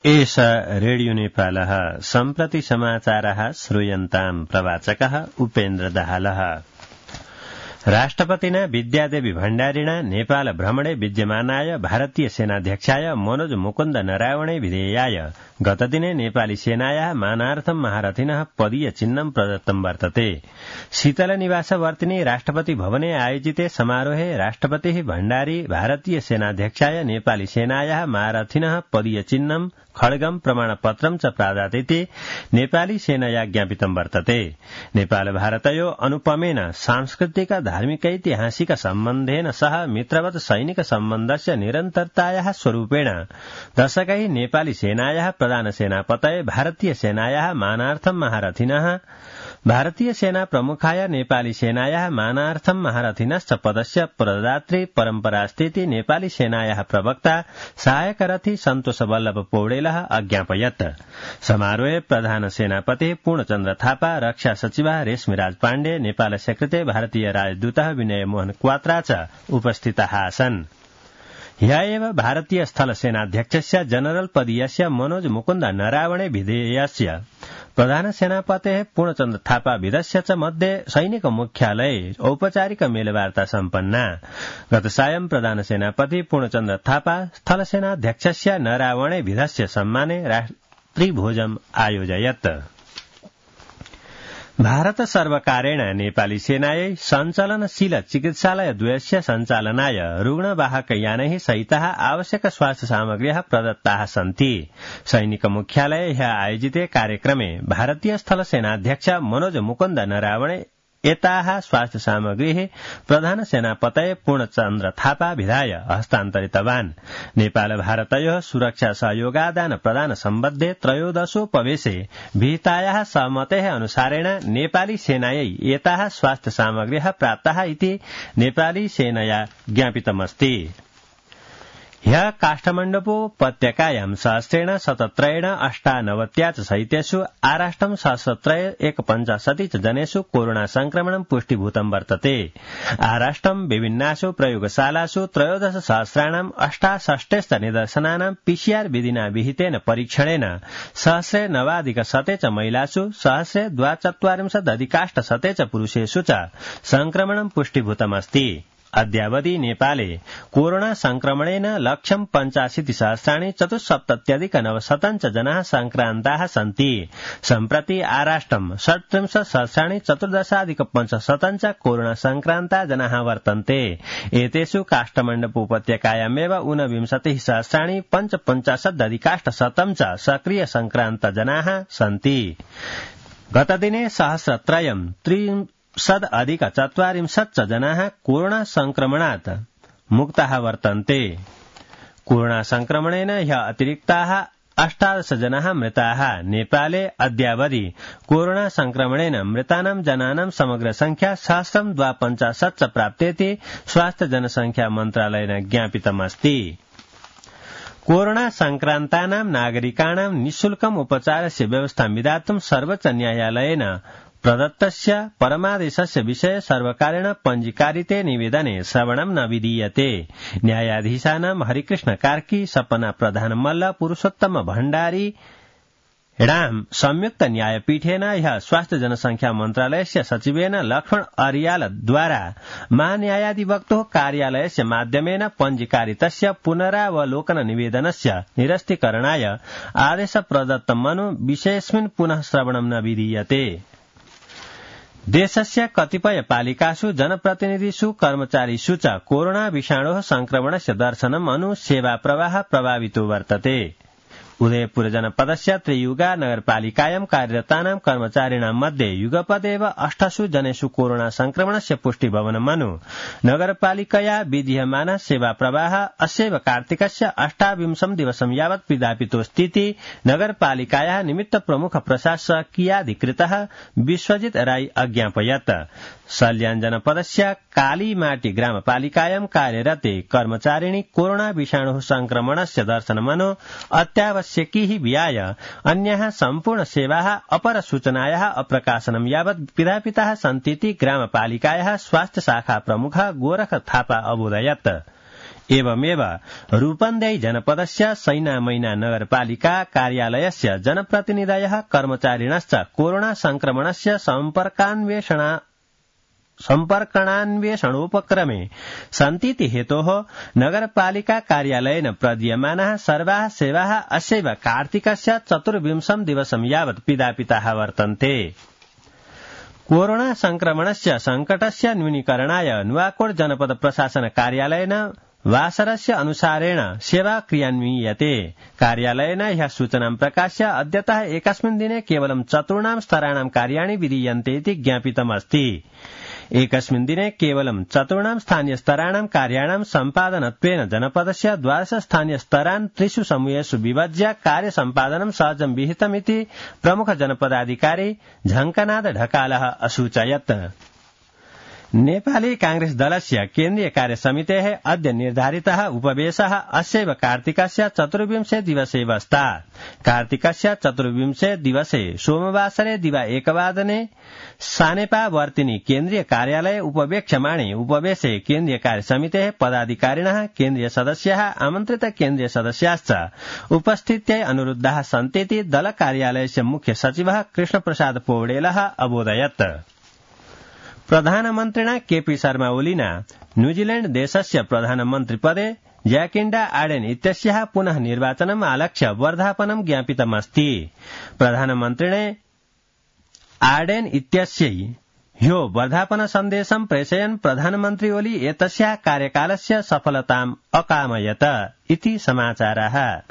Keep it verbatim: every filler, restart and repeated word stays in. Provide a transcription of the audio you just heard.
एष रेडियो नेपालः सम्प्रति समाचारः श्रूयन्ताम् प्रवाचकः उपेन्द्र दाहालः। राष्ट्रपतिना विद्यादेवी भण्डारिणा नेपाल भ्रमणे विद्यमानाय भारतीय सेनाध्यक्षाय मनोज मुकुन्द नरावणे विधेयाय गतदिने नेपाली सेनायाः मानार्थं महारथिनः पदीय चिह्नं प्रदत्तं वर्तते। शीतलनिवासवर्तिनि राष्ट्रपति भवने आयोजिते समारोहे राष्ट्रपतिः भण्डारी भारतीय सेनाध्यक्षाय नेपाली सेनायाः महारथिनः पदीय चिह्नं खड्गं प्रमाणपत्रं च प्रादातीति नेपाली सेनया ज्ञापितं वर्तते। नेपाल भारतयो अनुपमेन सांस्कृतिक धार्मिकैतिहासिक सम्बन्धेन सह मित्रवत् सैनिक सम्बन्धस्य निरन्तरतायाः स्वरूपेण दशकै नेपाली सेनायाः प्रधान सेनापतये भारतीय सेनायाः मानार्थं महारथिनः भारतीय सेना प्रमुखाय नेपाली सेनायाः मानार्थं महारथिनश्च पदस्य प्रदात्री परम्परास्तीति नेपाली सेनायाः प्रवक्ता सहायकरथी सन्तोष वल्लभ पौडेलः अज्ञापयत्। समारोहे प्रधान सेनापति पूर्णचन्द्र थापा, रक्षा सचिवः रेशमिराज पाण्डे, नेपालस्य कृते भारतीय राजदूतः विनय मोहन क्वात्रा च उपस्थिताः आसन्। ह्य एव भारतीय स्थल सेनाध्यक्षस्य जनरल पदीयस्य मनोज मुकुन्द नरावणे विधेयस्य प्रधान सेनापतेः पूर्णचन्द्र थापा विधस्य च मध्ये सैनिक मुख्यालये औपचारिक मेलवार्ता सम्पन्ना। गत सायं प्रधान सेनापति पूर्णचन्द्र थापा स्थल सेनाध्यक्षस्य नरावणे विधस्य सम्माने रात्रिभोजम् आयोजयत्। भारत सर्वकारेण नेपाली सेनायै सञ्चालनशील चिकित्सालयद्वयस्य सञ्चालनाय रुग्णवाहकयानैः सहितः आवश्यक स्वास्थ्य सामग्र्यः प्रदत्ताः सन्ति। सैनिक मुख्यालये ह्यः आयोजिते कार्यक्रमे भारतीय स्थल सेनाध्यक्ष मनोज मुकुन्द नरावणे एताः स्वास्थ्य सामग्रीः प्रधान सेनापतये पूर्णचन्द्र थापा विधाय हस्तान्तरितवान्। नेपाल भारतयोः सुरक्षा सहयोगादान प्रदान सम्बद्धे त्रयोदशोपवेशे विहितायाः सहमतेः अनुसारेण नेपाली सेनायै एताः स्वास्थ्य सामग्र्यः प्राप्ताः इति नेपाली सेनया ज्ञापितमस्ति। ह्यः काष्ठमण्डपोपत्यकायां सहस्रेण शतत्रयेण अष्टानवत्या च सहितेषु आराष्टं सहस्रत्रय एकपञ्चाशति च जनेषु कोरोना संक्रमणं पुष्टिभूतं वर्तते। आराष्टं विभिन्नासु प्रयोगशालासु त्रयोदश सहस्राणाम् अष्टाषष्टेश्च निदर्शनानां पीसीआर विधिना विहितेन परीक्षणेन सहस्रे नवाधिक शते च महिलासु सहस्रे द्वाचत्वारिंशदधिकाष्ट शते च पुरुषेषु च संक्रमणं पुष्टिभूतमस्ति। अद्यावधि नेपाले कोरोना संक्रमणेन लक्षं पञ्चाशीति सहस्राणि चतुस्सप्तत्यधिक नवशतं च जनाः संक्रान्ताः सन्ति। सम्प्रति आराष्टं षट्त्रिंशत् सहस्राणि चतुर्दशाधिक पञ्चशतं च कोरोना संक्रान्ता जनाः वर्तन्ते। एतेषु काष्ठमण्डपोपत्यकायामेव ऊनविंशतिः सहस्राणि पञ्चपञ्चाशदधिकाष्टशतं च सक्रिय संक्रान्त जनाः सन्ति। गतदिने सहस्रत्रयं त्रि सद अधिक चत्वारिंशत् जनाः कोरोना संक्रमणात् मुक्ताः वर्तन्ते। कोरोना संक्रमणेन ह्यः अतिरिक्ताः अष्टादश जनाः मृताः। नेपाले अद्यावधि कोरोना संक्रमणेन मृतानां जनानां समग्र संख्या सहस्रं द्वापञ्चाशत् च प्राप्तेति स्वास्थ्य जनसंख्या मन्त्रालयेन ज्ञापितमस्ति। कोरोना संक्रान्तानां नागरिकाणां निःशुल्कम् उपचारस्य व्यवस्थां विधातुं सर्वोच्च न्यायालयेन प्रदत्तस्य परमादेशस्य विषये सर्वकारेण पञ्जीकारिते निवेदने श्रवणं न विधीयते। न्यायाधीशानां हरिकृष्ण कार्की, सपना प्रधान मल्ल, पुरुषोत्तम भण्डारी राम संयुक्त न्यायपीठेन ह्यः स्वास्थ्य जनसंख्या मन्त्रालयस्य सचिवेन लक्ष्मण अरियाल द्वारा महान्यायाधिवक्तोः कार्यालयस्य माध्यमेन पञ्जीकारितस्य पुनरावलोकन निवेदनस्य निरस्तीकरणाय आदेश प्रदत्तमनु विषयेऽस्मिन् पुनः श्रवणं न विधीयते। देशस्य कतिपय पालिकासु जनप्रतिनिधिषु कर्मचारीषु च कोरोना विषाणोः संक्रमणस्य दर्शनम् अनु सेवा प्रवाह प्रभावितो वर्तते। उदयपुर जनपदस्य त्रियुगा नगरपालिकायां कार्यरतानां कर्मचारिणां मध्ये युगपदेव अष्टसु जनेषु कोरोना संक्रमणस्य पुष्टिभवनमनु नगरपालिकया विधीयमानः सेवा प्रवाह अस्यैव कार्तिकस्य अष्टाविंशं दिवसं यावत् विधापितोऽस्तीति नगरपालिकायाः निमित्त प्रमुख प्रशासकीयाधिकृतः विश्वजित राई अज्ञापयत्। सल्यान जनपदस्य कालीमाटी ग्रामपालिकायां कार्यरते कर्मचारिणी कोरोना विषाणुः संक्रमणस्य दर्शनमनु अत्यावश्यकीः विहाय अन्याः सम्पूर्ण सेवाः अपर सूचनायाः अप्रकाशनं यावत् विधापिताः सन्तीति ग्रामपालिकायाः स्वास्थ्य शाखा प्रमुख गोरख थापा अबोधयत्। एवमेव रूपन्देही जनपदस्य सैनामैना नगरपालिका कार्यालयस्य जनप्रतिनिधयः कर्मचारिणश्च कोरोना संक्रमणस्य सम्पर्कान्वेषण सम्पर्कणान्वेषणोपक्रमे सन्तीति हेतोः नगरपालिका कार्यालयेन प्रदीयमानाः सर्वाः सेवाः अस्यैव कार्तिकस्य चतुर्विंशं दिवसं यावत् पिधापिताः वर्तन्ते। कोरोना संक्रमणस्य संकटस्य न्यूनीकरणाय नुवाकोट जनपद प्रशासन कार्यालयेन वासरस्य अनुसारेण सेवा क्रियान्वीयते। कार्यालयेन ह्यः सूचनां प्रकाश्य अद्यतः एकस्मिन् दिने केवलं चतुर्णां स्तराणां कार्याणि विधीयन्ते इति ज्ञापितमस्ति। एकस्मिन् दिने केवलं चतुर्णां स्थानीयस्तराणां कार्याणां सम्पादनत्वेन जनपदस्य द्वादश स्थानीयस्तरान् त्रिषु समूहेषु विभज्य कार्यसम्पादनं सहजं विहितमिति प्रमुख जनपदाधिकारी झङ्कनाथ ढकालः असूचयत्। नेपाली कांग्रेस दलस्य केन्द्रीय कार्यसमितेः अद्य निर्धारितः उपवेशः अस्यैव कार्तिकस्य चतुर्विंशे दिवसे वस्तात्। कार्तिकस्य चतुर्विंशे दिवसे सोमवासरे दिवा एकवादने सानेपावर्तिनि केन्द्रीय कार्यालये उपवेक्ष्यमाणे उपवेशे केन्द्रीय कार्यसमितेः पदाधिकारिणः केन्द्रीय सदस्याः आमन्त्रित केन्द्रीय सदस्याश्च उपस्थित्यै अनुरुद्धाः सन्तीति दल कार्यालयस्य मुख्य सचिवः कृष्णप्रसाद पौडेलः अबोधयत्। प्रधानमन्त्रिणा केपी शर्मा ओलिना न्यूजीलैण्ड देशस्य प्रधानमन्त्रिपदे जैकिण्डा आर्डेन इत्यस्याः पुनः निर्वाचनम् आलक्ष्य वर्धापनं ज्ञापितमस्ति। प्रधानमन्त्रिणे आर्डेन इत्यस्यै ह्यो वर्धापन सन्देशं प्रेषयन् प्रधानमन्त्री ओली एतस्याः कार्यकालस्य सफलताम् अकामयत इति समाचारः।